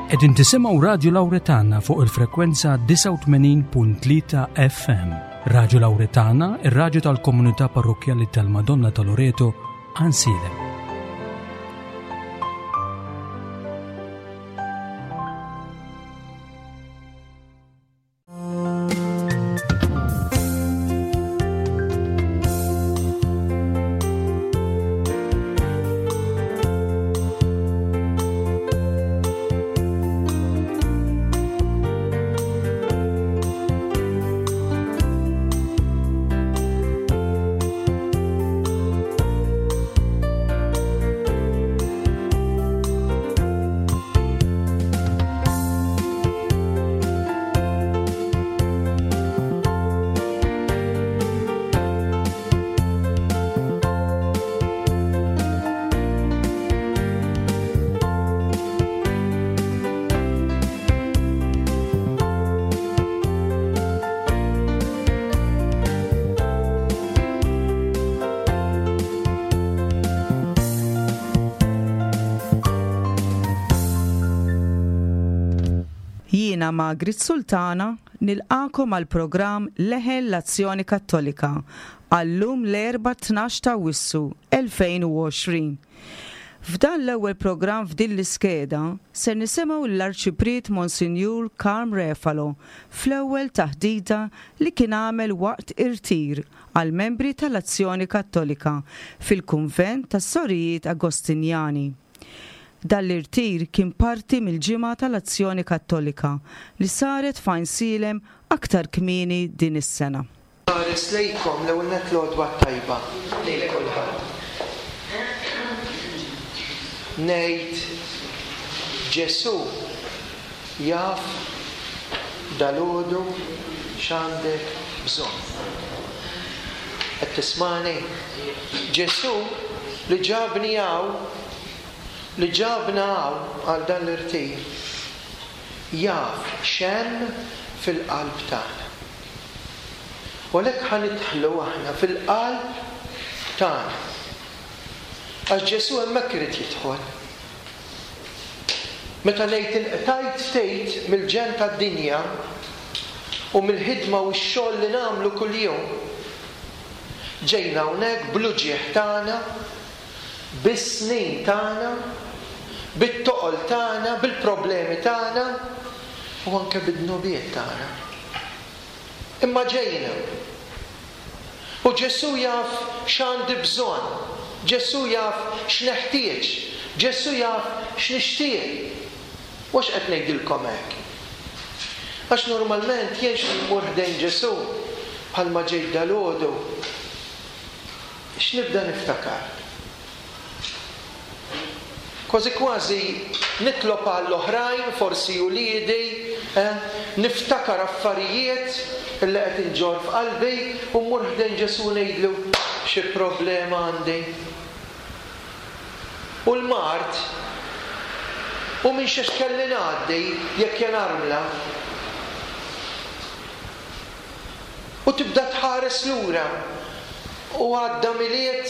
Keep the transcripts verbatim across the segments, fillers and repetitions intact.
Qegħdin tisimgħu Radju Lawretana fuq il-frekwenza disgħa u tmenin punt tlieta F M. Radju Lawretana, ir-radju tal-Komunità Parrokkjali tal-Madonna ta' Loreto, Għajnsielem. Jiena Margaret Sultana nilqagħkom għal programm Leħen l-Azzjoni Kattolika għal-lum l-Erbgħa tnax ta' Awwissu elfejn u għoxrin. F'dan l-ewwel programm f'din l-iskeda ser nisimgħu l-Arċipriet Monsinjur Karm Refalo fl-ewwel taħdita li kien għamel waqt irtir għal membri tal-Azzjoni Kattolika fil-Kunvent tas-Sorijiet Agostinjani. Dan l-irtir kien parti mill-ġimgħa tal-Azzjoni Kattolika li saret f'Għajnsielem aktar kmieni din is-sena. Ħares lejkom, l-ewwel nett l-għodwa tajba lil kulħadd. Ngħid Ġesu jaf dalgħodu x'għandek bżonn. Qed tismani? Ġesu li ġabni hawn, li ġabna hawn għal dan l-irtir, jaf x'hemm fil-qalb tagħna. U għalhekk ħa nidħlu aħna fil-qalb tagħna. Għax Ġesu hemmhekk irid jidħol. Meta ngħid inqtajt ftit mill-ġenn tad-dinja u mill-ħidma u x-xogħol li nagħmlu kuljum, ġejna hawnhekk bl-uġigħ tagħna, bis-snin tagħna, bit-toqol tagħna, bil-problemi tagħna u anke bid-dnubiet tagħna. Imma ġejna. U Ġesu jaf x'għandi bżonn, Ġesu jaf x'neħtieġ, Ġesu jaf x'nixtieq. U għax qed ngħidilkom hekk? Għax normalment jien x'nimur ħdejn Ġesu bħalma ġejt dalgħodu, x'nibda niftakar? Kważi kważi nitlob għall-oħrajn, forsi uliedi, eh, niftakar affarijiet li qed inġorr f'qalbi u mmur ħdejn Ġesu ngħidlu xi problema għandi. U l-mard, u minn xiex kelli ngħaddi jekk jien armla. U tibda tħares lura u għadda Milied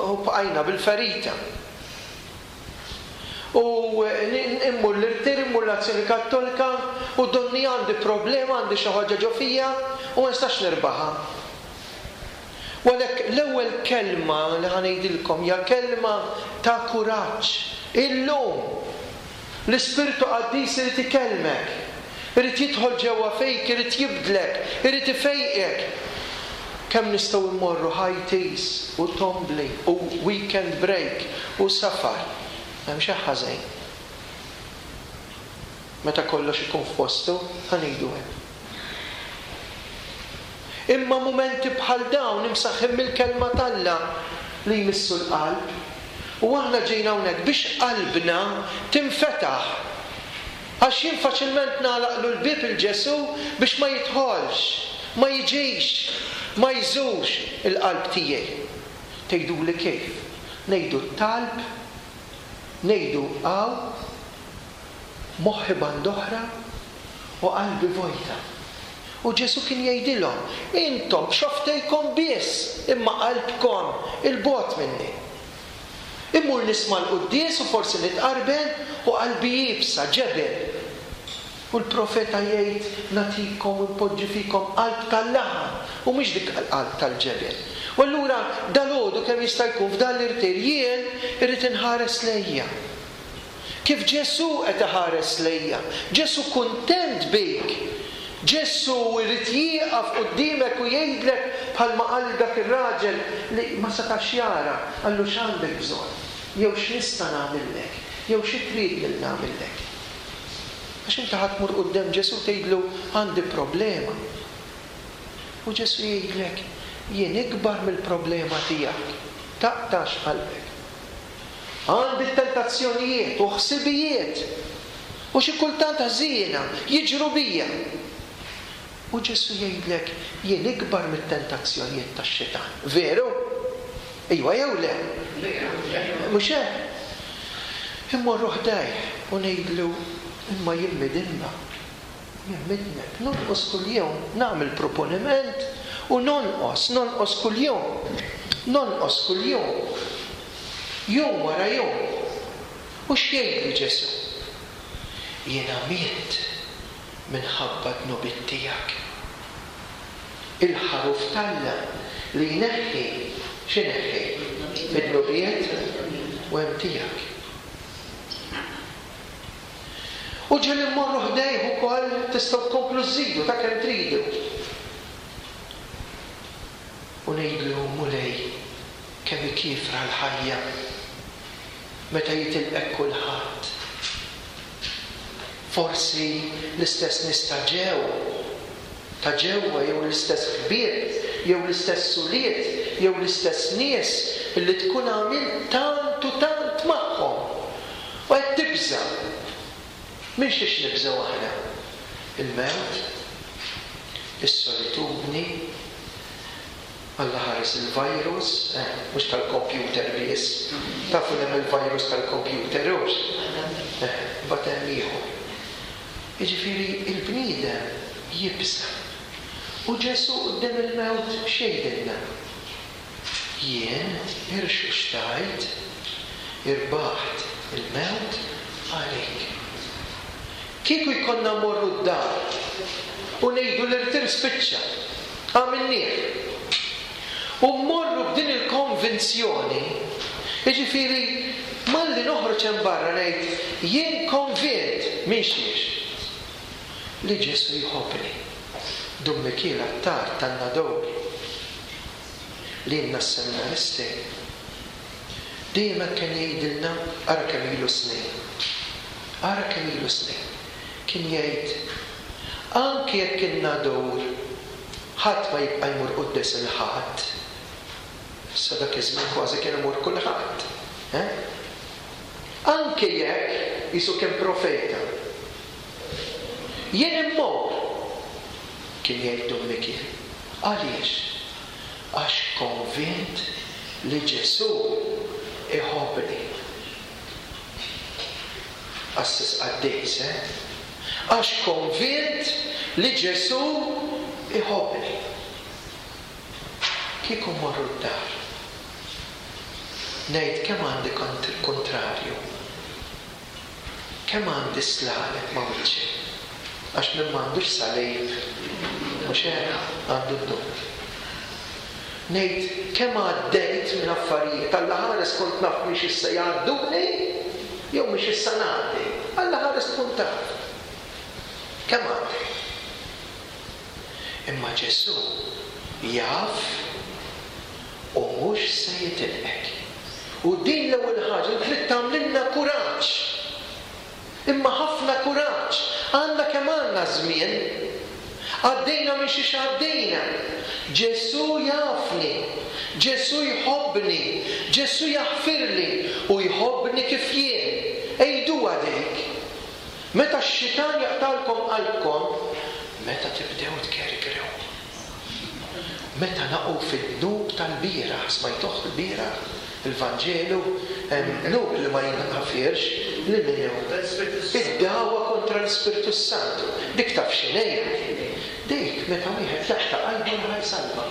u bqajna bil-ferita. U immur l-irtir, immur l-Azzjoni Kattolika u donni għandi problema, għandi xi ħaġa ġo fija u ma nistax nirbaħha. U għalhekk l-ewwel kelma li ħa ngħidilkom hija kelma ta' kuraġġ. Illum l-Ispirtu Qaddis irid ikellmek, irid jidħol ġewwa fejk, irid jibdlek, irid ifejqek. Kemm nistgħu mmorru high teas u tombli u weekend break u safar. Hemm xi ħażin. Meta kollox ikun f'postu, ħa ngħidu hekk. Imma mumenti bħal dawn imsaħħin mill-kelma t'Alla li jmissu l-qalb. U aħna ġejna hawnhekk biex qalbna tinfetaħ. Għax jien faċilment nagħlaqlu l-bieb il Ġesu biex ma jidħolx, ma jiġix, ma jżurx il-qalb tiegħi. Tgħiduli kif? Ngħidu t-talb, ngħidu hawn, moħħi band'oħra u qalbi vojta. U Ġesu kien jgħidilhom, intom xofftejkom biss, imma qalbkom il-bogħod minni. Immur nisma' l-quddies u forsi nitqarben u qalbi iebsa, ġebel. U l-profeta jgħid nagħtikom u npoġġi fikom qalb tal-laħam u mhux dik qalb tal-ġebel. U allura dalgħodu kemm jista' jkun f'dan l-irtir jien irrid inħares lejja. Kif Ġesù qed iħares lejja. Ġesù kuntent bik. Ġesù jrid jieqaf quddiemek u jgħidlek bħalma qal dak ir-raġel li ma setax jara, qallu x'għandek bżonn, jew x'nista' nagħmillek, jew xi trid li nagħmillek. Għax inti ħa tmur quddiem Ġesù tgħidlu għandi problema. U Ġesù jgħidlek jien ikbar mill-problema tiegħek. Taqtax qalbek. Għandi tentazzjonijiet u ħsibijiet u xi kultant ħżiena jiġru bija. U Ġesù jgħidlek jien ikbar mit-tentazzjonijiet tax-xitan. Veru? Ejwa jew le? Mhux hekk? Immorru ħdejh u ngħidlu imma jien midinba, jien midneb, nonqos kuljum, nagħmel proponiment u nonqos, nonqos kuljum, nonqos kuljum, jum wara jum. U x'jgħidli Ġesù? Jiena miet minħabba dnubiet tiegħek. Il-ħaruf t'Alla li jneħħi, x'ineħħi? Id-dnubiet u hemm tiegħek. U ġieli mmorru ħdejh ukoll tistgħu tkomplu żżidu ta' kemm tridu. U ngħidlu Mulej kemm ikifra l-ħajja meta jitilqek kulħadd. Forsi l-istess nies ta' ġew, ta' ġewwa jew l-istess ħbieb, jew l-istess ulied, jew l-istess nies li tkun għamilt tant u tant magħhom. U qed tibża'. Minn xiex nibżgħu aħna? Il-mewt, is-solitudni, Alla ħares il-virus, eh, mhux tal-kompjuter biss. Tafu hemm il-virus tal-kompjuter, hux? Eh, mbagħad hemm ieħor. Jiġifieri il-bniedem jibża'. U Ġesù quddiem il-mewt x'jgħidilna? Jien irxuxtajt, irbaħt il-mewt għalik. Kieku jkollna mmorru d-dar u ngħidu l-irtir spiċċa, għamilnieh. U mmorru b'din il-konvinzjoni, jiġifieri malli noħroġ hemm barra ngħid jien konvint minn xiex li Ġesù jħobbni. Dun Mikiel Attard tan-Nadur li lilna s-seminaristi dejjem hekk kien jgħidilna, ara kemm ilu snin, ara kemm ilu snin, kien jgħid anke jekk in-Nadur ħadd ma jibqa' jmur quddes il-Ħadd. Issa dak iż-żmien kważi kien imur kulħadd. Eh? Anke jekk jisu kien profeta. Jien immur, kien jgħid Dun Mikiel. Għaliex? Għax konvint li Ġesù iħobbni. Qassis qaddis, eh? Għax konvint li Ġesù iħobbni. Kieku mmorru d-dar, ngħid kemm għandi kontrarju, kemm għandi slaleb ma' wiċċi, għax min m'għandux salib, mhux hekk, għandu d-dub. Ngħid kemm għaddejt minn affarijiet, Alla ħares kont naf mhix issa jgħadduni jew mhix issa ngħaddi, Alla ħares tkun taf. Kemm għaddejt? Imma Ġesù jaf u mhux se jitilqek. U din l-ewwel ħaġa li trid tagħmlilna kuraġġ. Imma ħafna kuraġġ. Għandna kemm għandna żmien. Għaddejna minn xiex għaddejna. Ġesù jafni, Ġesù jħobbni, Ġesù jaħfirli u jħobbni kif jien. Ejduha dik. Meta x-xitan jaqtalkom qalbkom, meta tibdew tkerkrew. Meta naqgħu fid-dnub tal-bieraħ, smajtuh il-bieraħ, il-Vanġelu, hemm dnub li ma jinħafirx, li min hu? Id-dagħwa kontra l-Ispirtu Santu. Dik taf x'inhi? Dik meta wieħed jaqta' qalbu li ħa jsalva.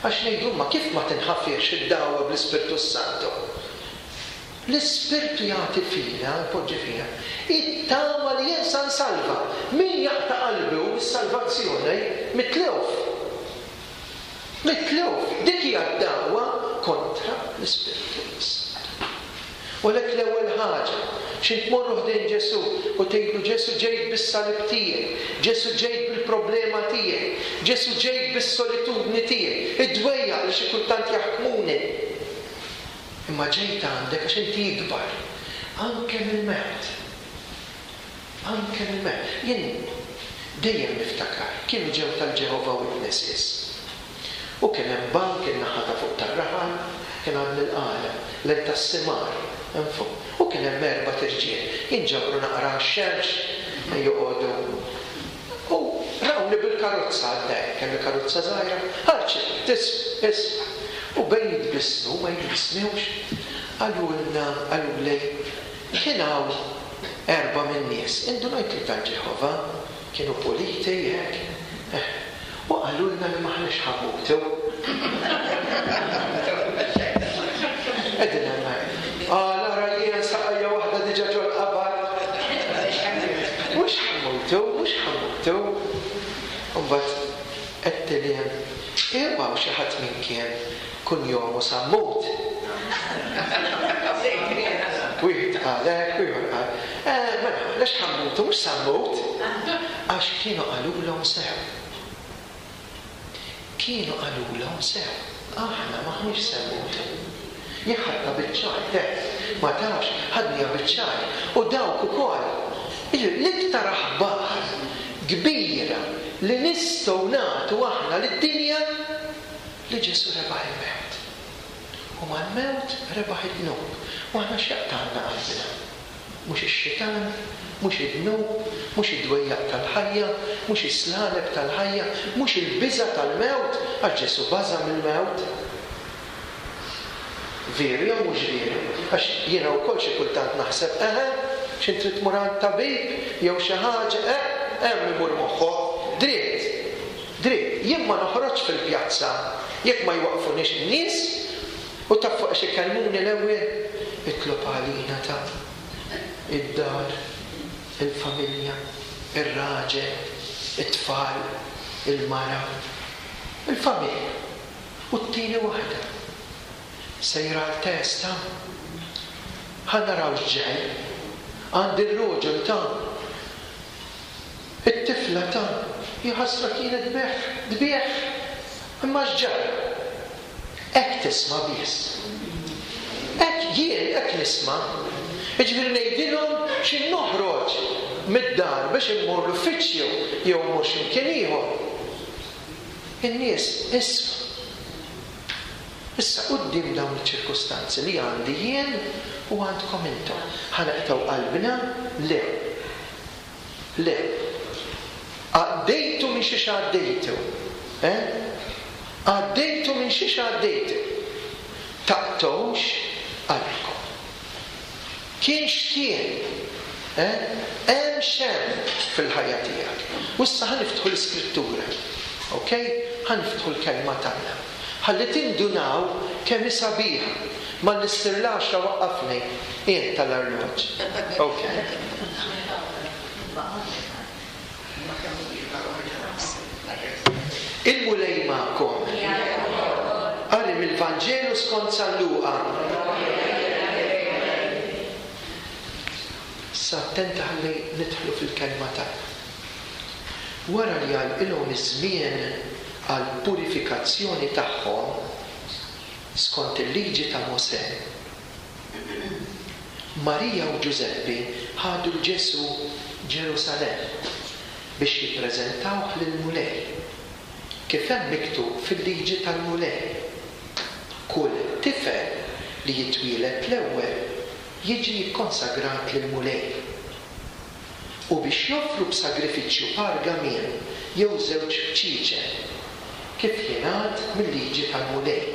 Għax ngħidu ma kif ma tinħafirx id-dagħwa bl-Ispirtu Santu? L-Ispirtu jagħti fina, jpoġġi fina, it-tama li jien sa nsalva. Min jaqta' qalbu mis-salvazzjoni mitluf. Mitluf. Dik hija d-dagħwa kontra l-Ispirtu s-Santu. U għalhekk l-ewwel ħaġa, x'int tmorru ħdejn Ġesù u tgħidlu Ġesù ġejt bis-salib tiegħi, Ġesù ġejt bil-problema tiegħi, Ġesù ġejt bis-solitudni tiegħi, id-dwejjaq li xi kultant jaħkmuni. Imma ġejt għandek għax inti ikbar, anke mill-mewt. Anke mill-mewt. Jien dejjem niftakar, kienu ġew tal-Jehovah Witnesses. U kien hemm bank in-naħa ta' fuq tar-raħal, kien għand il-qala, lejn tas-simar, hemm fuq. U kien hemm erba' tirġiel, jinġabru naqra għax-xemx, joqogħdu. U rawni bil-karozza għaddej, kelli karozza żgħira, ħarġet, tisma', isma'. U bejn jitbissmu, ma jitbissmewx, qalulna, qaluli, kien hawn erba' min-nies, indunajt li tal-Ġeħova, kienu puliti hekk, eh, u qalulna li m'aħniex ħa mmutu. Qegħdin hemmhekk. Qal, ara jien saqajja waħda diġà ġol-qabar. Mhux ħa mmutu, mhux ħa mmutu. U mbagħad għedtilhom, Ew hawn xi ħadd minn kien kunjomu Sammut. Wieħed qal hekk, u ieħor qal, eh, mela, għaliex ħa mmutu, mhux Sammut. Għax kienu qalulhom sew. Kienu qalulhom sew. Aħna m'aħniex se mmutu. Jien ħadtha biċ-ċajt, eh, ma tafx, ħadniha biċ-ċajt. U dawk ukoll. Jiġifieri l-iktar aħbar kbira li nistgħu nagħtu aħna lid-dinja li Ġesù rebaħ il-mewt. U mal-mewt rebaħ id-dnub. U aħna x'jaqtgħalna qalbna? Mhux ix-xitan, mhux id-dnub, mhux id-dwejjaq tal-ħajja, mhux is-slaleb tal-ħajja, mhux il-biża' tal-mewt, għax Ġesù baża' mill-mewt. Veru jew mhux veru? Għax jiena wkoll xi kultant naħseb, eħe, x'int trid tmur għand tabib jew xi ħaġa, eh, hemm imur moħħok. Dritt, dritt, jien ma noħroġx fil-pjazza jekk ma jwaqfunix in-nies u taf fuq xi ikellmuni l-ewwel, itlob għalina ta' id-dar, il-familja, ir-raġel, it-tfal, il-mara, il-familja. U t-tieni waħda, sejra għal test ta' ħa naraw x'ġej, għandi r-roġel ta' it-tifla ta' hi ħasra kienet tbigħ, tbigħ, imma x'ġara? Hekk tisma' biss. Hekk jien hekk nisma'. Jiġifieri ngħidilhom xi noħroġ mid-dar biex immur l-uffiċċju jew immur xi mkien ieħor. In-nies isma'. Issa quddiem dawn iċ-ċirkustanzi li għandi jien u għandkom intom, ħa naqtgħu qalbna? Le. Le. Għaddejtu minn xiex għaddejtu. Eh? Għaddejtu minn xiex għaddejtu. Taqtgħux qalbkom. Kien x'kien, eh? Hemm x'hemm fil-ħajja tiegħek. U issa ħa niftħu l-Iskrittura. Ok? Ħa niftħu l-kelma t'Alla. Ħalli tindunaw kemm hi sabiħa. Malli ssir l-għaxra waqqafni int tal-arloġġ. Ok. Il-Mulej magħkom. Qari mill-Vanġelu skont San Luqa. Issa attenti ħalli nidħlu fil-kelma t'Alla. Wara li għalqilhom iż-żmien għall-purifikazzjoni tagħhom skont il-liġi ta' Mosè, Marija u Ġużeppi ħadu 'l Ġesù Ġerusalemm biex jippreżentawh lill-Mulej, kif hemm miktub fil-liġi tal-Mulej, Kull tifel li jitwieled l-ewwel jiġi kkonsagrat lill-Mulej. U biex joffru b'sagrifiċċju par gamiem jew żewġ bċieċen, kif jingħad mil-liġi tal-Mulej.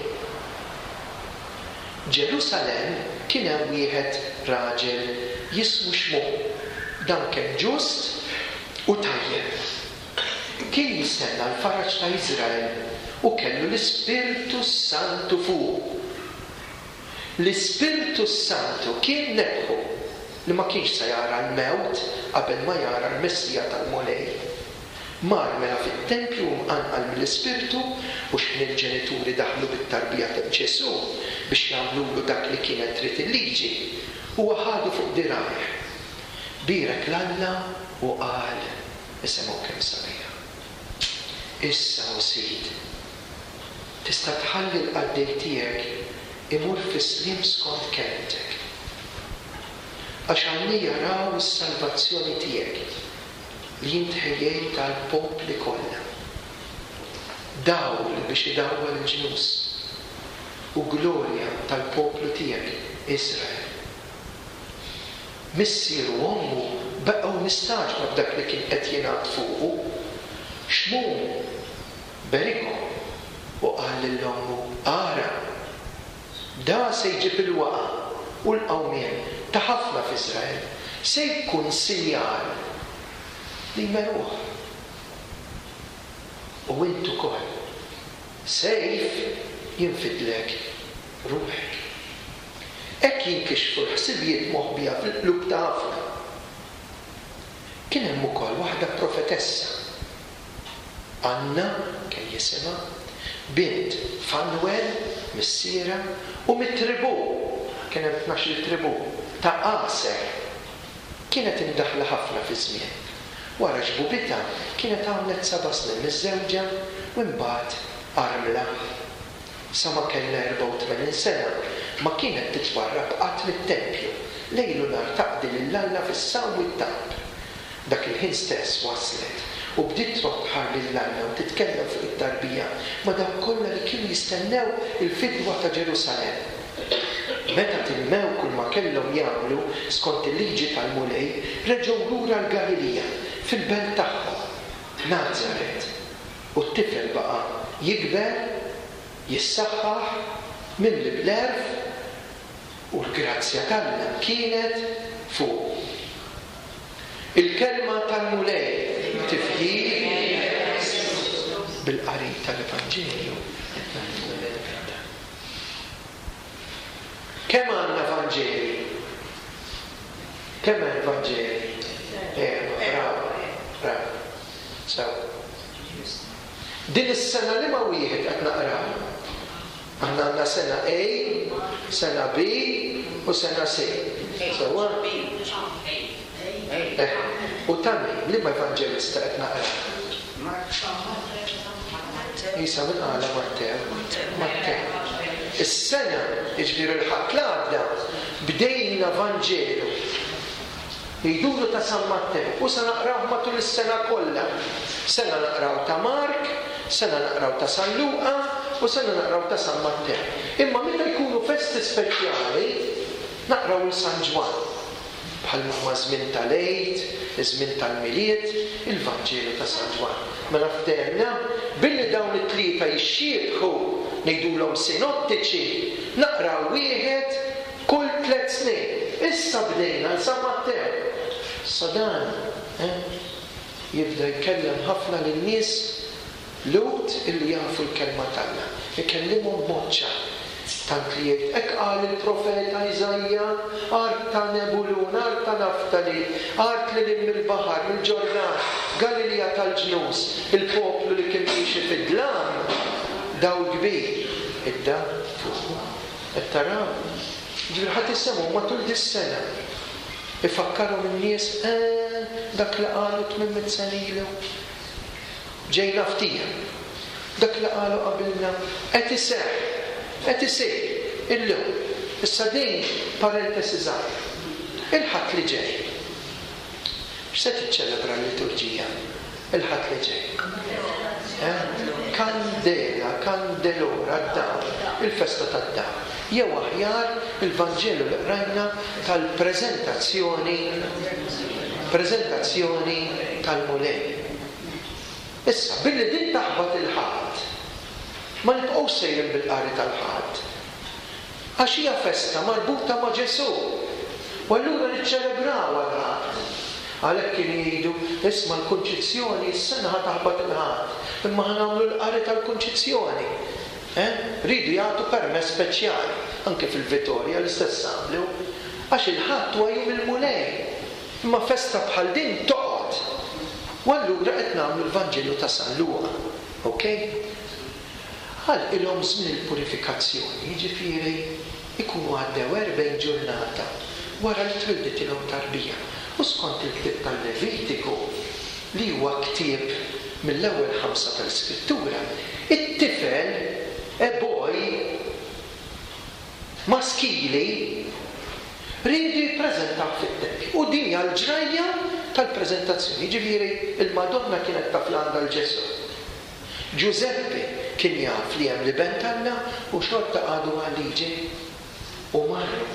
Ġerusalemm kien hemm wieħed raġel jismu Xmun, dan kien ġust u tajjeb. Kien jistenna l-faraġ ta' Iżrael u kellu l-Ispirtu s-Santu fuqu. L-Ispirtu Santu kien nebbħu li ma kienx se jara l-mewt qabel ma jara l-Messija tal-Mulej. Mar mela fit-tempju mqanqal mill-Ispirtu, u x'ħin il-ġenituri daħlu bit-tarbija ta' Ġesù biex jagħmlulu dak li kienet trid il-liġi, huwa ħadu fuq dirgħajh. Bierek 'l Alla u qal, isimgħu kemm sabiħa: Issa, o Sid, tista' tħalli l-qaddej tiegħek imur fis-sliem skont kelmtek, għax għajnejja raw is-salvazzjoni tiegħek li int ħejjejt għall-popli kollha, dawl biex idawwal il-ġnus u glorja tal-poplu tiegħek Israel. Missieru u ommu baqgħu mistagħġba b'dak li kien qed jingħad fuqu. Xmun berikhom u qal lil ommu: Ara, da se jġib il-waqa u l-qawmien ta' ħafna f'Israel, se jkun sinjal li jmeruh. U int ukoll sejf jinfidlek ruħek. Hekk jinkixfu l-ħsibijiet moħbija fil-qlub ta' ħafna. Kien hemm ukoll waħda profetessa, Anna kien jisimha, bint Fanwel missiera, u mit-tribù, kien hemm tnax-il tribù, ta' Aser. Kienet imdaħla ħafna fi żmien. Wara xbubitha kienet għamlet seba' snin miżżewġa u mbagħad armla. Sa ma kellha erbgħa u tmenin sena ma kienet titwarrab qatt mit-tempju, lejl u nhar taqdi lil Alla fis-sawm u t-talb. Dak il-ħin stess waslet u bdiet trodd ħar lil Alla u titkellem fuq it-tarbija ma' dawk kollha li kienu jistennew il-fidwa ta' Ġerusalemm. Meta timmew kull ma kellhom jagħmlu skont il-liġi tal-Mulej, reġgħu lura l-Galilija, fil-belt tagħhom, Nazaret. U t-tifel baqa' jikber, jissaħħaħ, mimli bl-għerf, u l-grazzja t'Alla kienet fuqu. Il-kelma tal-Mulej. Tifħir bil-qari tal-Evanġelju qed nagħtu l-Vita. Kemm għandna Vanġeli? Kemm hemm Vanġeli? Erba', bravo, bravo. Sew. Din is-sena li ma wieħed qed naqraw. Aħna għandna sena A, sena B u sena C. Sewwa? Eh, u ta' min, liema evanġelista qed naqraw? Isa minn qala Mattew. Mattew. Is-sena, jiġifieri l-Ħadd l-għadda, bdejna Vanġelu. Jgħidulu ta' San Mattew u se naqrawh matul is-sena kollha. Sena naqraw ta' Mark, sena naqraw ta' San Luqa u sena naqraw ta' San Mattew. Imma meta jkunu festi speċjali, naqraw il San Ġwann. Bħal huma żmien tal-Għid, iż-żmien tal-Milied, il-Vanġelu ta' San Ġwann. Mela ftehemna billi dawn it-tlieta jixxiebħu, ngħidulhom sinottiċi, naqraw wieħed kull tliet snin. Issa bdejna l San Mattew. Issa dan, eh, jibda jkellem ħafna lin-nies Lhud illi jafu l-kelma t'Alla. Ikellimhom b'mod ċar. Tant li jgħid, hekk qal il-profeta Iżaija, art ta' Nebulun, art ta' Naftali, art lil hinn mill-baħar, mill-Ġordan, Galilija tal-ġnus, il-poplu li kien miexi fid-dlam, dawl kbir idda fuqu. Qed taraw? Ġifieri ħadd isemgħu matul dis-sena. Ifakkarhom in-nies, eh, dak li qalu tmien mitt sena ilu. Ġejna ftija. Dak li qalu qabilna qed iseħħ, qed isir illum. Issa din parentesi żgħira. Il-Ħadd li ġej. X'se tiċċelebra l-liturġija? Il-Ħadd li ġej. Eh? Kandela, kandelora, d-dawl, il-festa tad-dawl. Jew aħjar il-Vanġelu li qrajna tal-preżentazzjoni, preżentazzjoni tal-Mulej. Issa, billi din taħbat il-Ħadd, ma nibqgħux sejrin bil-qari tal-Ħadd. Għax hija festa marbuta ma' Ġesù. U allura niċċelebraw għall-Ħadd. Għalhekk kienu jgħidu, isma' l-Kunċizzjoni s-sena ħa taħbat il-Ħadd, imma ħa nagħmlu l-qari tal-Kunċizzjoni. Eh? Ridu jagħtu permess speċjali. Anke fil-Vitorja l-istess għamlu. Għax il-Ħadd huwa jum il-Mulej. Imma festa bħal din toqgħod. U allura qed nagħmlu l-Vanġelu ta' San Luqa. Ok? Għalqilhom żmien il-purifikazzjoni, jiġifieri ikunu għaddew erbgħin ġurnata wara li twilditilhom tarbija. U skont il-ktieb tal-Levitiku, li huwa ktieb mill-ewwel ħamsa tal-Iskrittura, it-tifel, a boy, maskili, riedu jippreżentaw fit-tempju. U din hija l-ġrajja tal-preżentazzjoni. Jiġifieri il-Madonna kienet taf li għandha l-Ġesù. Ġużeppi kien jaf li hemm l-Iben t'Alla u xorta qagħdu għal-liġi u marru.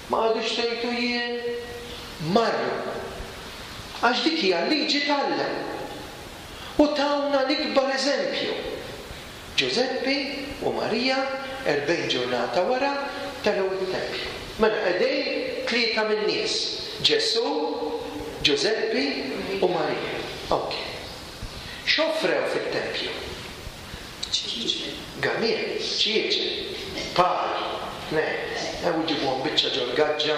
Ma qagħdux tgħidu jien, marru. Għax dik hija l-liġi t'Alla. U tawna l-ikbar eżempju. Ġużeppi u Marija erbgħin ġurnata wara telgħu it-tempju. Mela qegħdin tlieta min-nies: Ġesù, Ġużeppi u Marija. Ok. X'offrew fit-tempju? Gamiel, ċieċe, par, tnejn. U ġibuhom biċċa ġol-gaġġa,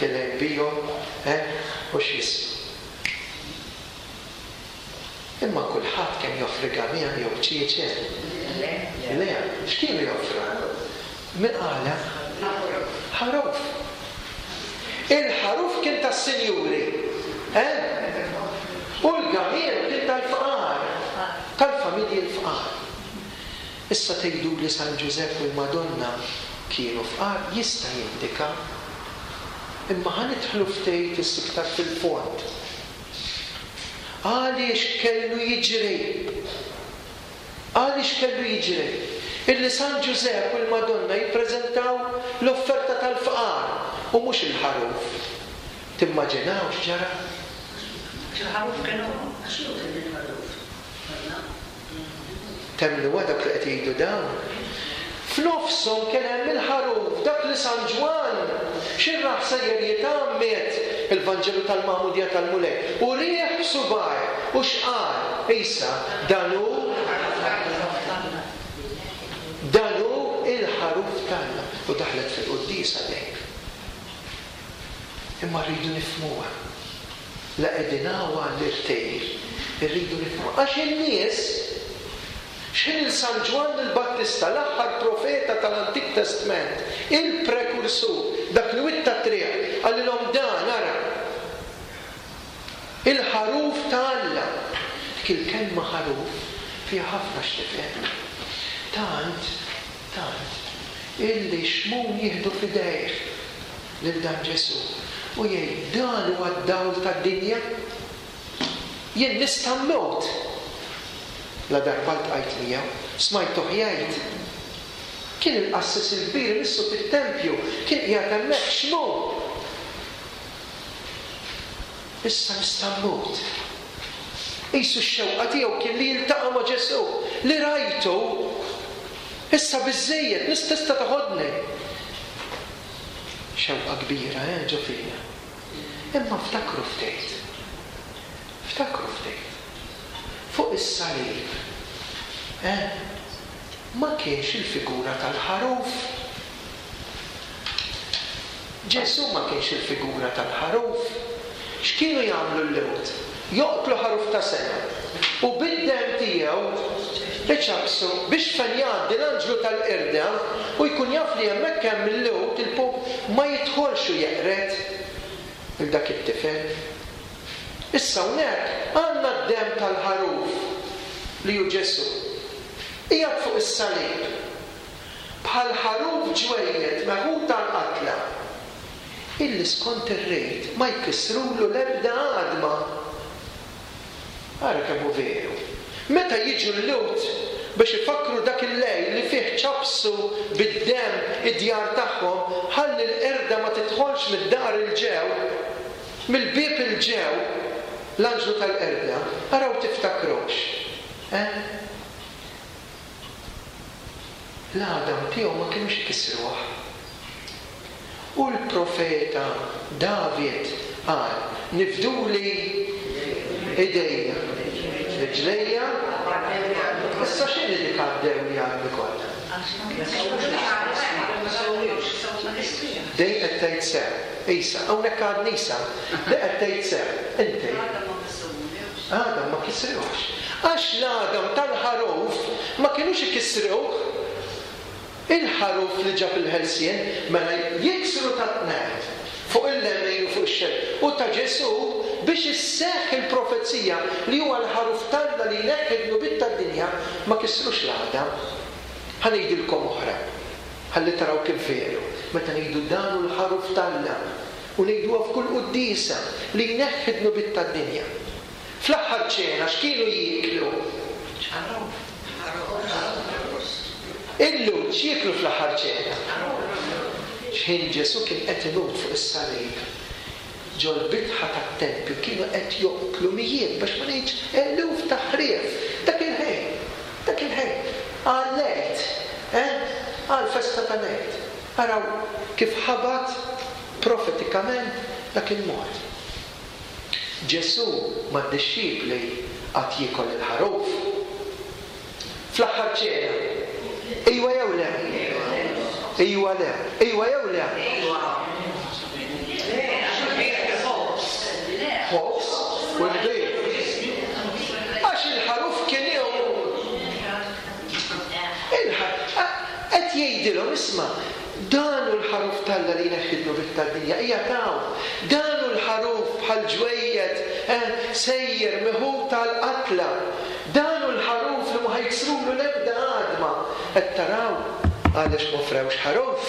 tilgħin bihom, eh, u x'jismu. Imma kulħadd kien joffri gamiel jew ċieċe? Le. Le, x'kienu joffru? Min qala? Ħaruf. Il-ħaruf kien tas-sinjuri, eh? U l-gamiel kien tal-fqar, tal-familji l-fqar. Issa tgħidu li San Ġużepp u l-Madonna kienu fqar, jista' jindika. Imma ħa nidħlu ftit iktar fil-fond. Għaliex kellu jiġri? Għaliex kellu jiġri? Illi San Ġużepp u l-Madonna jippreżentaw l-offerta tal-fqar u mhux il-ħaruf. Timmaġinaw x'ġara? Il-ħaruf kienu, għax hu kien il-ħaruf. Temmnu dak li qed jgħidu dawn? F'nofshom kien hemm il-ħaruf, dak li San Ġwann xirraħ sejjer jitgħammed il-Vanġelu tal-Magħmudija tal-Mulej. U rieħ b'subgħajh u x'qal? Isa, dan hu dan hu il-ħaruf t'Alla. U daħlet fil-quddiesa dejjem. Imma rridu nifhmuha. La qegħdin hawn għall-irtejl, irridu nifhmuha. Għax in-nies x'ħin il-San Ġwann il-Battista, l-aħħar profeta tal-Antik Testament, il-prekursur, dak li witta triq, qalilhom dan, ara, il-ħaruf ta' Alla. Dik il-kelma ħaruf fiha ħafna x'tifhem. Tant, tant, illi Xmun jieħdu f'idejh lil dan Ġesù u jgħid dan huwa d-dawl tad-dinja. Jien nista' mmut. La darba ltqajt miegħu, smajtuh jgħid. Kien il-qassis il-kbir imissu fit-tempju, kien qiegħed hemmhekk Xmun. Issa nista' mmut. Qisu x-xewqa tiegħu kien li jiltaqa' ma' Ġesù, li rajtu, issa biżżejjed, nista' tista' toħodni. Xewqa kbira, eh, ġo fina. Imma ftakru ftit. Ftakru ftit. Fuq is-salib, eh, ma kienx il-figura tal-ħaruf. Ġesù ma kienx il-figura tal-ħaruf. X'kienu jagħmlu l-Lhud? Joqtlu ħaruf ta' sena u bid-demm tiegħu iċabsu biex fejn jgħaddi l-anġlu tal-qirda u jkun jaf li hemmhekk hemm il-Lhud, il-pop ma jidħolx u jeqred il dak it-tifel. Issa hawnhekk għandna d-demm tal-ħaruf li hu Ġesù. Qiegħed fuq is-salib bħal ħaruf ġwejjed meħud tal-qatla, illi skont ir-rejt ma jkissrulu l-ebda għadma. Ara kemm hu veru. Meta jiġu l-Lhud biex ifakru dak il-lejl li fih ċabsu bid-demm id-djar tagħhom, ħalli l-qerda ma tidħolx mid-dar il-ġew, mill-bieb il-ġew, l-anġlu tal-qerda, araw tiftakrux. Eh? L-għadam tiegħu ma kienux ikissruh. U l-profeta David qal, nifduli idejja, riġlejja. Issa x'inhi dik għaddew li għadni kollha? Dej qed tgħid sew. Isa, hawnhekk għad nisa, dej qed tgħid sew. Inti. Għadam ma kisruhx. Għax l-għadam tal-ħaruf ma kinux ikissruh. Il-ħaruf li ġab il-ħelsien mela jiksru tat-tnejn fuq il-lemin u fuq ix-xellug. U ta' Ġesù biex isseħħ il-profezija li huwa l-ħaruf t'Alla li jneħħi d-dnubiet tad-dinja, ma kisrux l-għadam. Ħa ngħidilkom oħra, ħalli taraw kif veru. Meta ngħidu dan hu l-ħaruf t'Alla u ngħiduha f'kull quddiesa li jneħħi d-dnubiet tad-dinja. Fl-aħħar ċena x'kienu jieklu? Illum x'jieklu fl-aħħar ċena? X'ħin Ġesù kien qed imut fuq is-salib, ġol-bitħa tat-tempju kienu qed joqtlu mijiet biex ma ngħidx eluf ta' ħrief. Dak il-ħin, dak il-ħin, għal-Għid, eh? Għal-festa tal-Għid. Araw kif ħabat profetikament dak il-mod. Ġesù mad-dixxipli qatt jiekol il-ħaruf. Fl-aħħar ċena, ejwa jew le? Ejwa le. Ejwa jew le? Ħobż u nbid. Għax il-ħaruf kien jew qed jgħidilhom isma', dan hu l-ħaruf t'Alla li jneħħi d-dnubiet tad-dinja, hija taw. Dan hu l-ħaruf bħal ġwejjed sejjer meħud tal-qatla. Dan hu l-ħaruf li ma ħajksrulu l-ebda għadma. Qed taraw għaliex ma offrewx ħaruf?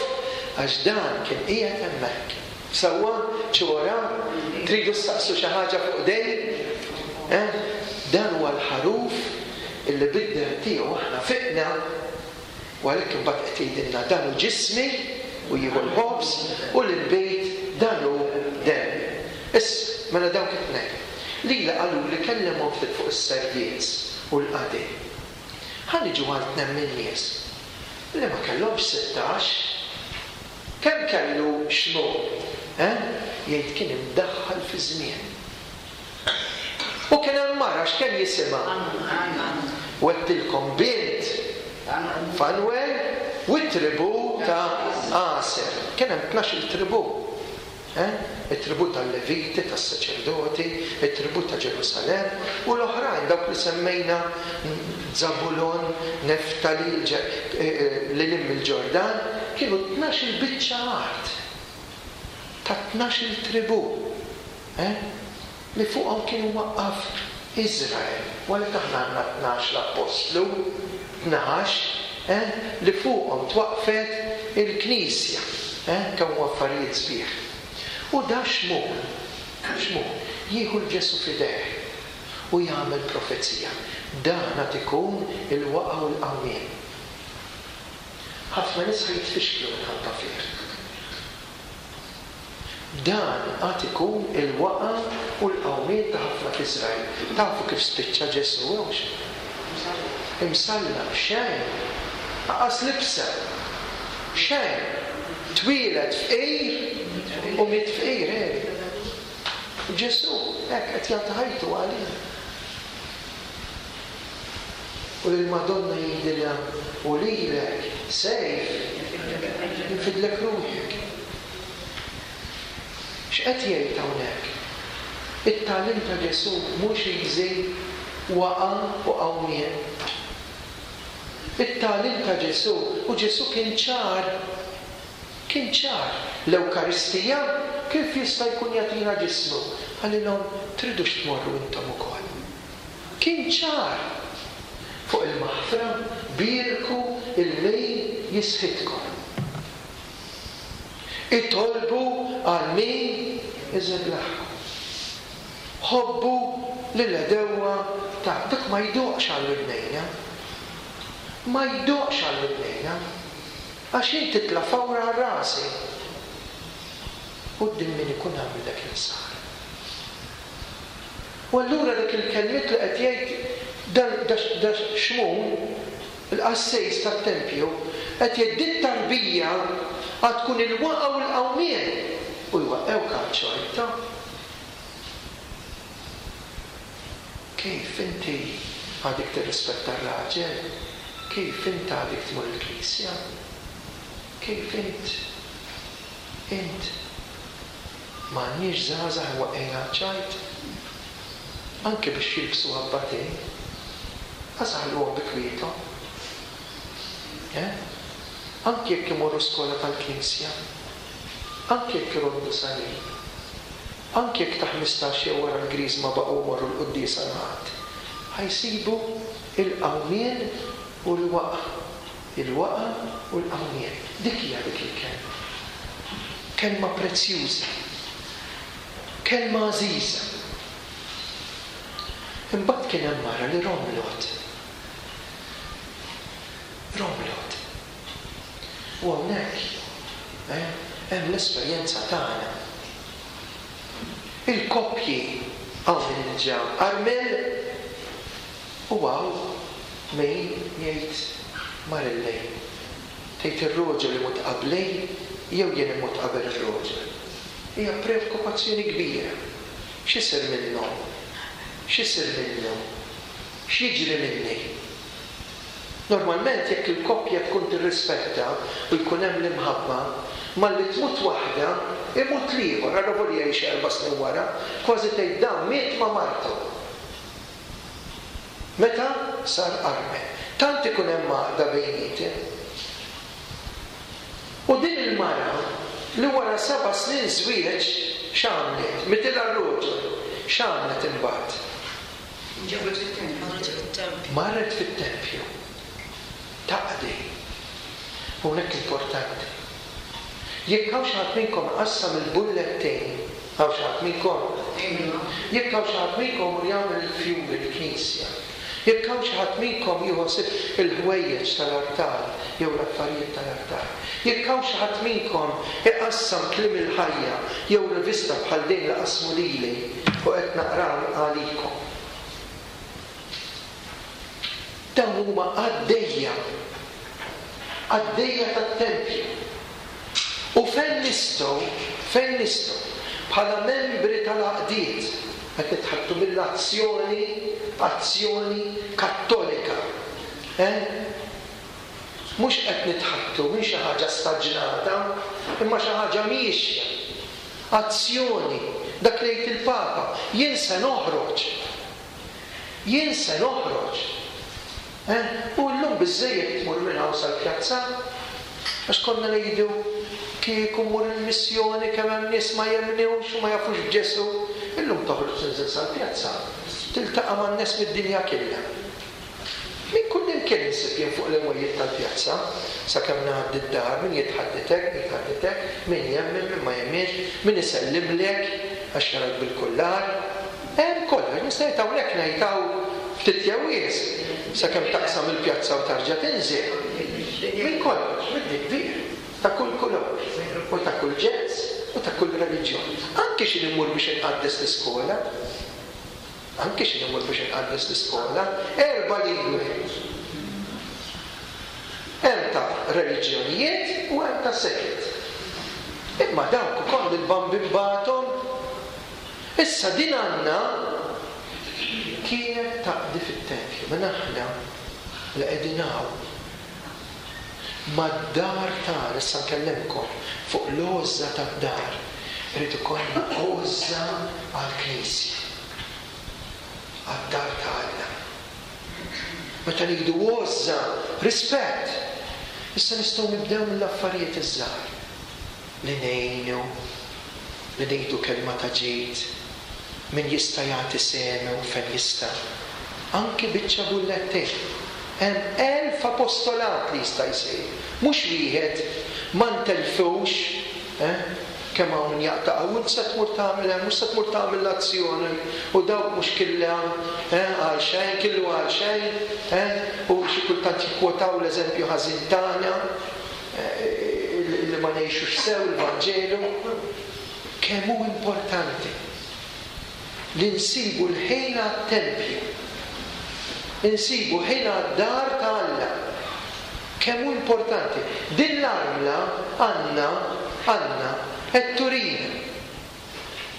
Għax dan kien qiegħed hemmhekk. Sewwa xi wara tridu ssaqsu xi ħaġa fuq dej? Eh? Dan huwa l-ħaruf illi bid-demm tiegħu aħna fiqna. U għalhekk imbagħad qed jgħidilna dan hu ġismi u jieħu l-ħobż u l-inbid dan hu demmi. Issa, mela dawk it-tnejn. Lila qalu li kellemhom ftit fuq is-servizz u l-qadi. Ħa niġu għal tnejn min-nies li ma kellhomx sittax. Kemm kellu Xmun? Eh? Jgħid kien imdaħħal fi żmien. U kien hemm mara x'kemm jisimha? Wettilkom bint Fanwel u t-tribu ta' Aser. Kien hemm tnax-il tribu. Eh? It-tribu tal-Leviti, tas-saċerdoti, it-tribu ta' Ġerusalemm u l-oħrajn dawk li semmejna Zabulon, Neftali, lil hemm il-Ġordan, kienu tnax-il biċċa art ta' tnax-il tribu, eh? Li fuqhom kienu waqqaf Iżrael. U għalhekk aħna għandna tnax l-appostlu, tnax, eh? Li fuqhom twaqfet il-Knisja, eh? Kemm huwa affarijiet sbieħ. U da Xmun, Xmun, jieħu l-Ġesu f'idejh u jagħmel profezija. Dan għad ikun il-waqa' u l-qawmien. Ħafna nies ħajtfixklu minħabba fih. Dan għad ikun il-waqa' u l-qawmien ta' ħafna f'Iżrael. Tafu kif spiċċa Ġesu, hux? Imsallab, xejn, aqas libsa, xejn. Twieled fqir u miet fqir, eh? Ġesu hekk qed jagħti ħajtu għalina. U lill-Madonna jgħidilha u lilek sejf infidlek ruħek. X'qed jgħid hawnhekk? It-tagħlim ta' Ġesu mhux easy, waqa' u qawmien. It-tagħlim ta' Ġesu, u Ġesu kien ċar, kien ċar. L-Ewkaristija kif jista' jkun jagħtina ġismu? Qalilhom tridux tmorru intom ukoll. Kien ċar. Fuq il-maħfra bierku il-min jisħitkom. Itolbu għal min iżeblaħkom. Ħobbu lil-għedewwa ta' dak ma jdoqx għal widnejna. Ma jdoqx għal widnejna. Għax jien titla' fawra għal rasi. Quddiem min ikun għamel dak il-ħsara. U allura dak il-kelmiet li qed jgħid dan da Xmun, il-qassejs tat-tempju, qed jgħid dit tarbija għad tkun il-waqa' u l-qawmien. U jwaqqewk għal ċorta. Kif inti għadek tirrispetta r-raġel? Kif inti għadek tmur il-knisja? Kif int? Int m'għandniex żgħażagħ imwaqqgħin ċajt. Anke biex jilbsu abbatejn. Għażaħluhom bi kwiethom. Eh? Anke jekk imorru skola tal-Knisja. Anke jekk iroddu salib. Anke jekk ta' ħmistax jew wara l-Griżma baqgħu jmorru l-quddiesa l-Ħadd. Ħa jsibu il-qawmien u l-waqa. Il-waqa u l-qawmien. Dik hija dik il-kelma. Kelma prezzjuża. Kelma għażiża. Imbagħad kien hemm mara li romlot. Romlot. U hawnhekk eh, hemm l-esperjenza tagħna. Il-koppji hawn min ġa armel u hawn min jgħid marillej. Tgħid ir-roġel imut qabli jew jien immut qabel ir-roġel. Hija preokkupazzjoni kbira. X'isir minnhom? X'isir minnu? X'jiġri minni? Normalment jekk il-koppja tkun tirrispetta u jkun hemm l-imħabba, malli tmut waħda, imut l-ieħor, avolja jgħix erba' snin wara, kważi tgħid dan miet ma' martu. Meta sar armel. Tant ikun hemm għaqda bejniethom. U din il-mara li wara seba' snin żwieġ x'għamlet? Mitilha r-roġel. X'għamlet imbagħad? Ġabet fit-tempju. Marret fit-tempju. Marret fit-tempju. Taqdi. Hawnhekk importanti. Jekk hawn xi ħadd minnkom qassam il-bullettejn, hawn xi ħadd minnkom? Jekk hawn xi ħadd minnkom mur jagħmel il-fjuri l-knisja, jekk hawn xi ħadd minnkom jieħu ħsieb il-ħwejjeġ tal-artal jew l-affarijiet tal-artal, jekk hawn xi ħadd minnkom iqassam kliem il-ħajja jew rivista bħal din li qasmu lili u qed naqra għalikom. Dawn huma għaddejja, għaddejja tat-tempju. U fejn nistgħu, fejn nistgħu, bħala membri tal-għaqdiet, qed nitħattu mill-azzjoni, azzjoni kattolika. Eh? Mhux qed nitħattu minn xi ħaġa staġnata, imma xi ħaġa miexja. Azzjoni, dak li jgħid il-Papa, jien se noħroġ. Jien se noħroġ. Eh? U llum biżżejjed tmur minn hawn sal-pjazza, għax konna ngħidu kieku mmur il-missjoni kemm hemm nies ma jemmnewx u ma jafux b'Ġesù. Illum toħroġ tinżel sal-pjazza, tiltaqa' man-nies mid-dinja kollha. Min kull imkien insib jien fuq l-imwejjed tal-pjazza, sakemm ngħaddi d-dar, min jitħadditek, min jitħadditek, min jemmen, min ma jemminx, min isellimlek għax jarak bil-kullar. Hemm kollox, nista' ngħid hawnhekk ngħid hawn ftit jew wisq, sakemm taqsam il-pjazza u tarġa' tinżel. Min kollox, min kbir, ta' kull kulur, u ta' kull ġens, u ta' kull reliġjon. Anke xi immur biex inqaddes l-iskola, anke xi immur biex inqaddes l-iskola, erba' lingwi. Hemm ta' reliġjonijiet u hemm ta' seket. Imma dawk ukoll il-bambin bagħthom. Issa din għandna kienet taqdi fit-tempju, minn aħna li qegħdin hawn mad-dar tagħna, issa nkellimkom fuq l-għożża tad-dar. Irid ikollna għożża għall-Knisja, għad-dar ta' Alla. Meta ngħidu għożża, rispett. Issa nistgħu nibdew mill-affarijiet iż-żgħar. Li ngħinu, li ngħidu kelma ta' ġid, min jista' jagħti sehmu fejn jista'. Anki biċċa bullettejn. Hemm elf apostolat li jista' jsir. Mhux wieħed, ma ntelfux, eh? Kemm hawn min jaqta' hawn, se tmur tagħmel hemm, mhux se tmur tagħmel l-azzjoni, u dawk mhux killa, eh, għal xejn, killu għal xejn, eh? U xi kultant jikkwotaw l-eżempju ħażin tagħna, eh, li ma ngħixux sew il-Vanġelu. Kemm hu importanti li nsibu l-ħin għat-tempju, insibu ħin għad-dar ta' Alla. Kemm hu importanti. Din l-armla għandna, għandna qed turina.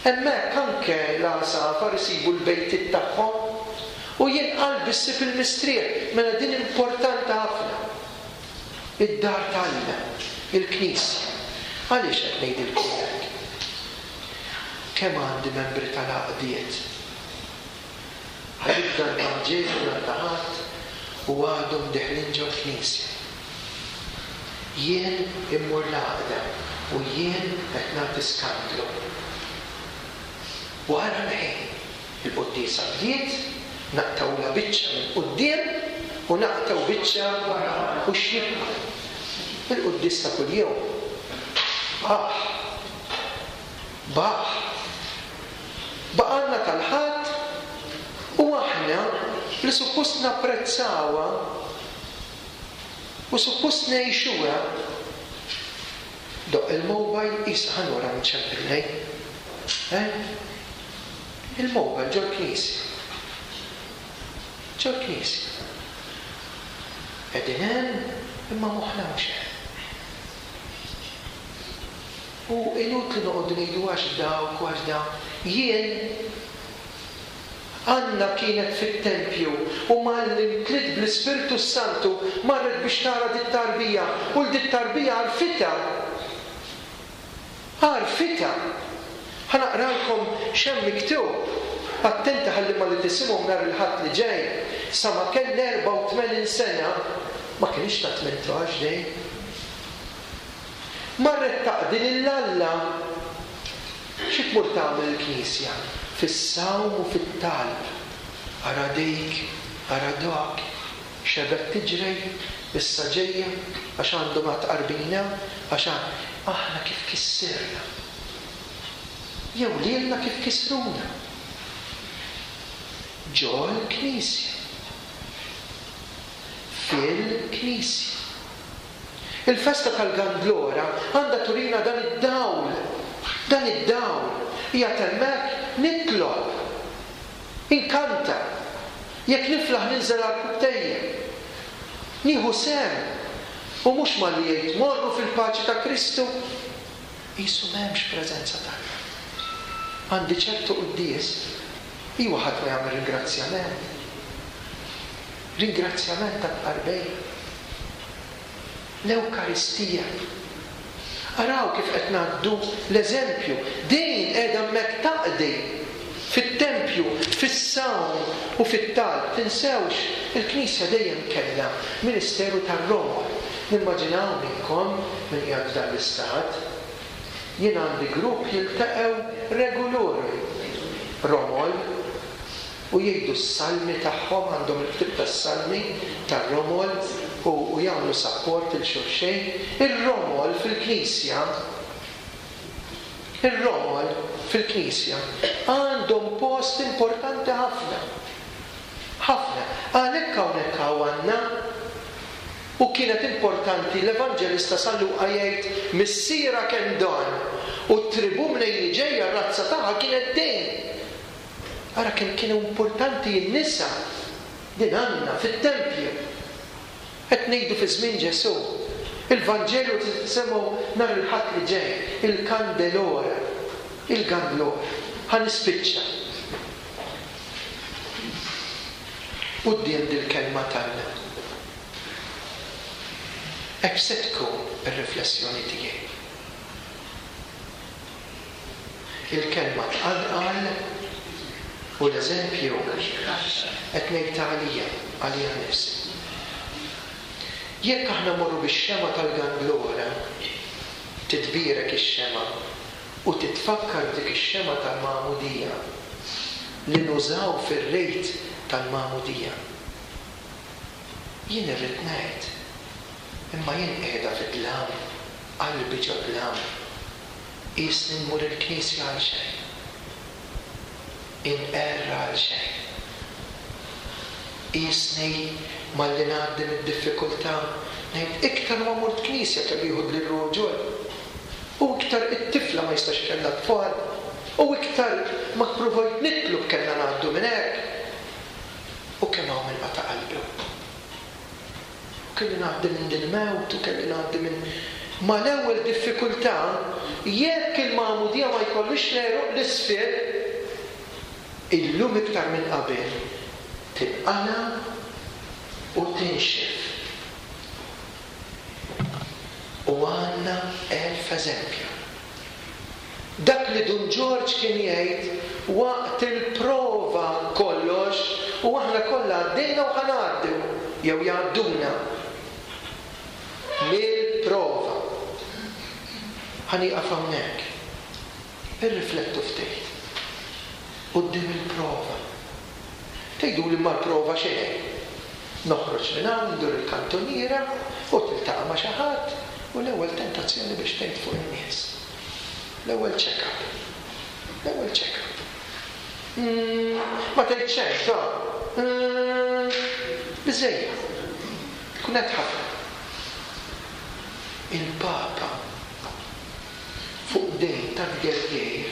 Hemmhekk anke l-għasafar isibu l-bejtiet tagħhom u jien qalbi ssib il-mistrieħ. Mela din importanti ħafna. Id-dar ta' Alla. Il-Knisja. Għaliex qed ngħidilkom hekk? Kemm għandi membri tal-għaqdiet? Ħa jibda l-Vanġelu nhar ta' Ħadd u għadhom deħlin ġol-Knisja. Jien immur l-għaqda u jien qed nagħti skandlu. Wara l-ħin, il-quddiesa bdiet, naqtgħulha biċċa minn quddiem u naqtgħu biċċa u x'jibqa'? Il-quddies ta' kuljum. Baħ. Baħ. Baqalna tal-Ħadd u aħna li suppost napprezzawha u suppost ngħixuha. Doq il-mobile isa ħa nura nċempillej. Eh? Il-mobile ġol-knisja. Ġol-knisja. Qegħdin hemm imma moħħna mhux hemm. U inutli noqogħdu ngħidu għax dawk u għax dawk. Jien Anna kienet fit-tempju u malli mtliet bl-Ispirtu s-Santu marret biex tara dit-tarbija u l-dit-tarbija għarfitha. Għarfitha. Ħa naqralkom x'hemm miktub. Attenti ħalli malli tisimgħu nhar il-Ħadd li ġej, sa ma kellha erbgħa u tmenin sena, ma kienx ta' tmintax dejn. Marret taqdi lil Alla. Xi tmur tagħmel il-Knisja? Fis-sawm u fit-talb. Ara dik, ara dak, xebgħet tiġri, issa ġejja, għax għandhom għad qarbina, għax aħna kif kissirna. Jew lilna kif kissruna. Ġol-Knisja. Fil-Knisja. Il-festa tal-Gandlora għandha turina dan id-dawl. Dan id-dawl. Hija hemmhekk nitlob. Inkanta. Jekk niflaħ ninżel għall-kubtejja. Nieħu sehem. U mhux malli jgħid morru fil-paċi ta' Kristu. Qisu m'hemmx preżenza t'Alla. Għandi ċertu quddies, iwa ħadd ma jagħmel ringrazzjament. Ringrazzjament tat-tqarbej. L-Ewkaristija. Araw kif qed ngħaddu l-eżempju. Din qiegħda hemmhekk taqdi fit-tempju, fis-sawm u fit-talb. Tinsewx, il-Knisja dejjem kellha ministeru tar-romol. Nimmaġinaw minnkom min qiegħed f'dan l-istat. Jien għandi grupp jiltaqgħu regolari romol u jgħidu s-salmi tagħhom, għandhom il-ktieb tas-salmi tar-romol u, u jagħmlu sapport il xulxejn. Ir-romol fil-Knisja, ir-romol fil-Knisja għandhom post importanti ħafna. Ħafna. Għalhekk hawnhekk hawn għandna u kienet importanti l-Evanġelista San Luqa jgħid missiera kemm dan u t-tribu mnejn li ġejja r-razza tagħha kienet dejn. Ara kemm kienu importanti n-nisa din għandna fit-tempju. Qed ngħidu fi żmien Ġesù. Il-Vanġelu tisimgħu nhar il-Ħadd li ġej, il-Kandelora, il-Gandlora. Ħa nispiċċa. Quddiem dil-kelma t'Alla. Hekk se tkun ir-riflessjoni tiegħi. Il-kelma tqanqal u l-eżempju qed ngħid għalija, għalija nnifsi. Jekk aħna mmorru bix-xema tal-Gandlora, titbierek ix-xema u titfakkar dik ix-xema tal-Magħmudija li nużaw fir-rejt tal-Magħmudija. Jien irrid ngħid, imma jien qiegħda fid-dlam, qalbi ġo dlam, qisni nmur il-Knisja għal xejn. Inqerra għal xejn. Qisni malli ngħaddi mid-diffikultà ngħid iktar ma mort knisja kellu jieħu lir-ruġol. U iktar it-tifla ma jistax kellha tfal. U iktar ma ppruvajt nitlob kellna ngħaddu minn hekk. U kemm hawn minn qata' qalbi. U kelli ngħaddi minn din mewt u kelli ngħaddi minn mal-ewwel diffikultà, jekk il-magħmudija ma jkollix l-għeruq l-isfel, illum iktar minn qabel tinqala u tinxef. U għandna elf eżempju. Dak li Dun Ġorġ kien jgħid waqt il-prova kollox u aħna kollha għaddejna u ħa ngħaddu jew jgħadduna mill-prova. Ħa nieqaf hawnhekk. Irriflettu ftit. Quddiem il-prova. Tgħidu li ma l-prova xejn. Noħroġ minn hawn, ndur il-kantuniera u tiltaqa' ma' xi ħadd u l-ewwel tentazzjoni biex tgħid fuq in-nies. L-ewwel check-up. L-ewwel check-up. Mm, ma tgħid xejn, ta' mm, biżejjed. Tkun qed ħafna. Il-Papa fuq dejn ta' tgergir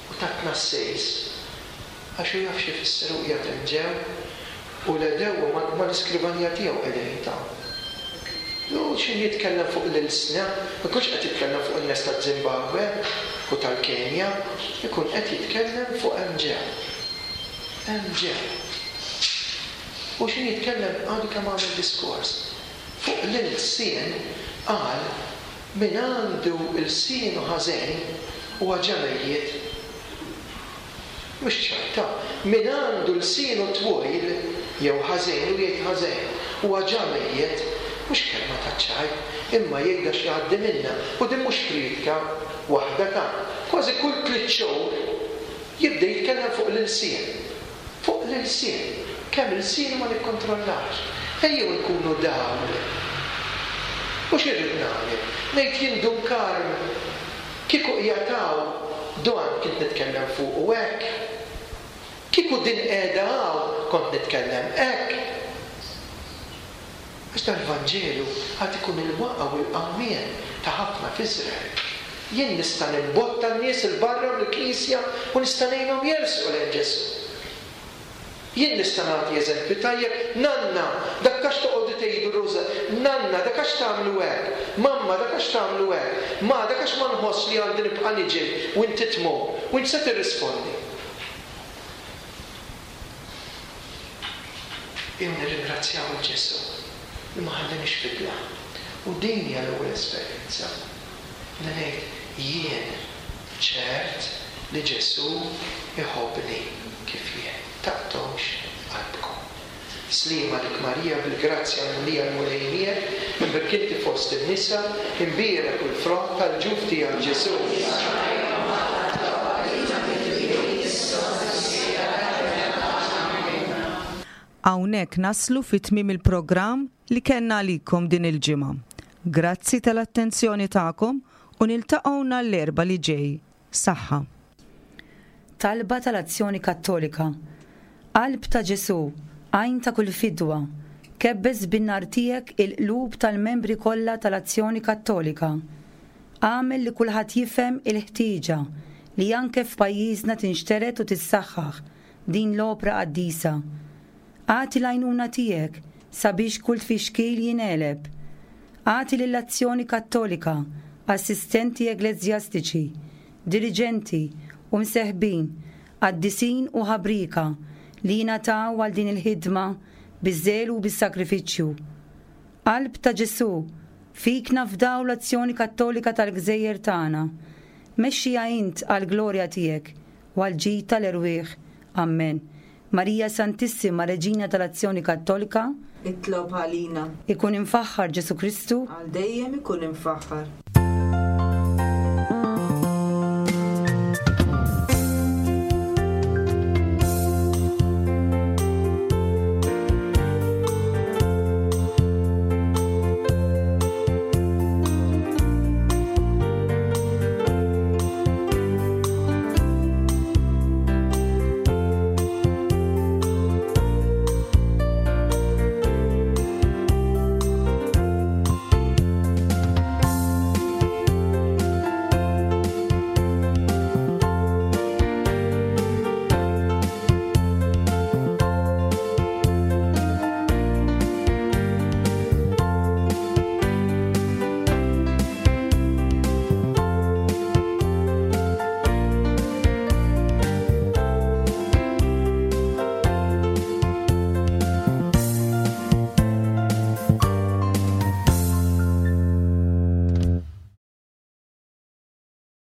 u ta' tnassejs għax hu jaf x'ifisser u qiegħed hemm ġew u l-għedewwa ma l-iskrivanija tiegħu qegħdin ta'. U x'ħin jitkellem fuq l-ilsna, ma jkunx qed jitkellem fuq in-nies ta' Zimbabwe u tal-Kenja, ikun qed jitkellem fuq hemm ġew. Hemm ġew. U x'ħin jitkellem għadu kemm għamel diskors fuq l-ilsien qal min għandu lsienu ħażin huwa ġa mejjet. Mhux ċajta, min għandu lsienu twil jew ħażin u jgħid ħażin huwa ġa mejjet. Mhux kelma ta' ċajt, imma jgħidha x'jgħaddi minna. U din mhux priedka waħda ta' kważi kull tliet xhur jibda jitkellem fuq l-ilsien. Fuq l-ilsien. Kemm ilsien ma nikkontrollax. Ejjew nkunu dawl. U x'irrid nagħmel? Ngħid jien Dun Karm kieku qiegħed hawn dan kont nitkellem fuq u hekk. Kieku din qiegħda hawn kont nitkellem hekk. Għax dal-Vanġelu għad ikun il-waqa u l-qawmien ta' ħafna f'Iżrael. Jien nista' nimbotta n-nies 'il barra mill-Knisja u nista' ngħinhom jersqu lejn Ġesù. Jien nista' nagħti eżempju tajjeb, nanna, dak għax toqogħdu tgħidu ruża, nanna, dak għax tagħmlu hekk, mamma, dak għax tagħmlu hekk, ma dak għax ma nħoss li għandi nibqa' niġi u inti tmur, u inti se tirrispondi. Jew nirringrazzjaw il Ġesù li ma ħallinix fidla. U din hija l-ewwel esperjenza. Li ngħid jien ċert li Ġesù iħobbni kif jien. Taqtgħux qalbkom. Sliem għalik Marija bil-grazzja mimlija l-Mulej miegħek, imbierek inti fost in-nisa, imbierek u l-frott tal-ġuf tiegħek Ġesù. Hawnhekk naslu fi tmiem il-programm li kellna għalikom din il-ġimgħa. Grazzi tal-attenzjoni tagħkom u niltaqgħu nhar l-Erbgħa li ġej. Saħħa. Talba tal-Azzjoni Kattolika. Qalb ta' Ġesù, għajn ta' kull fidwa, kebbes bin-nar tiegħek il-qlub tal-membri kollha tal-Azzjoni Kattolika. Agħmel li kulħadd jifhem il-ħtieġa li anke f'pajjiżna tinxtered u tissaħħaħ din l-opra qaddisa. Agħti l-għajnuna tiegħek sabiex kull tfixkil jingħeleb. Agħti lill-Azzjoni Kattolika assistenti ekleżjastiċi, diriġenti u mseħbin, qaddisin u ħabrika li jingħataw għal din il-ħidma biż-żelu u bis-sagrifiċċju. Qalb ta' Ġesù, fik nafdaw l-Azzjoni Kattolika tal-Gżejjer tagħna. Mexxija int għall-glorja tiegħek u għall-ġid tal-erwieħ. Amen. Marija Santissima, Reġina tal-Azzjoni Kattolika, itlob għalina. Ikun imfaħħar Ġesù Kristu, għal dejjem ikun imfaħħar.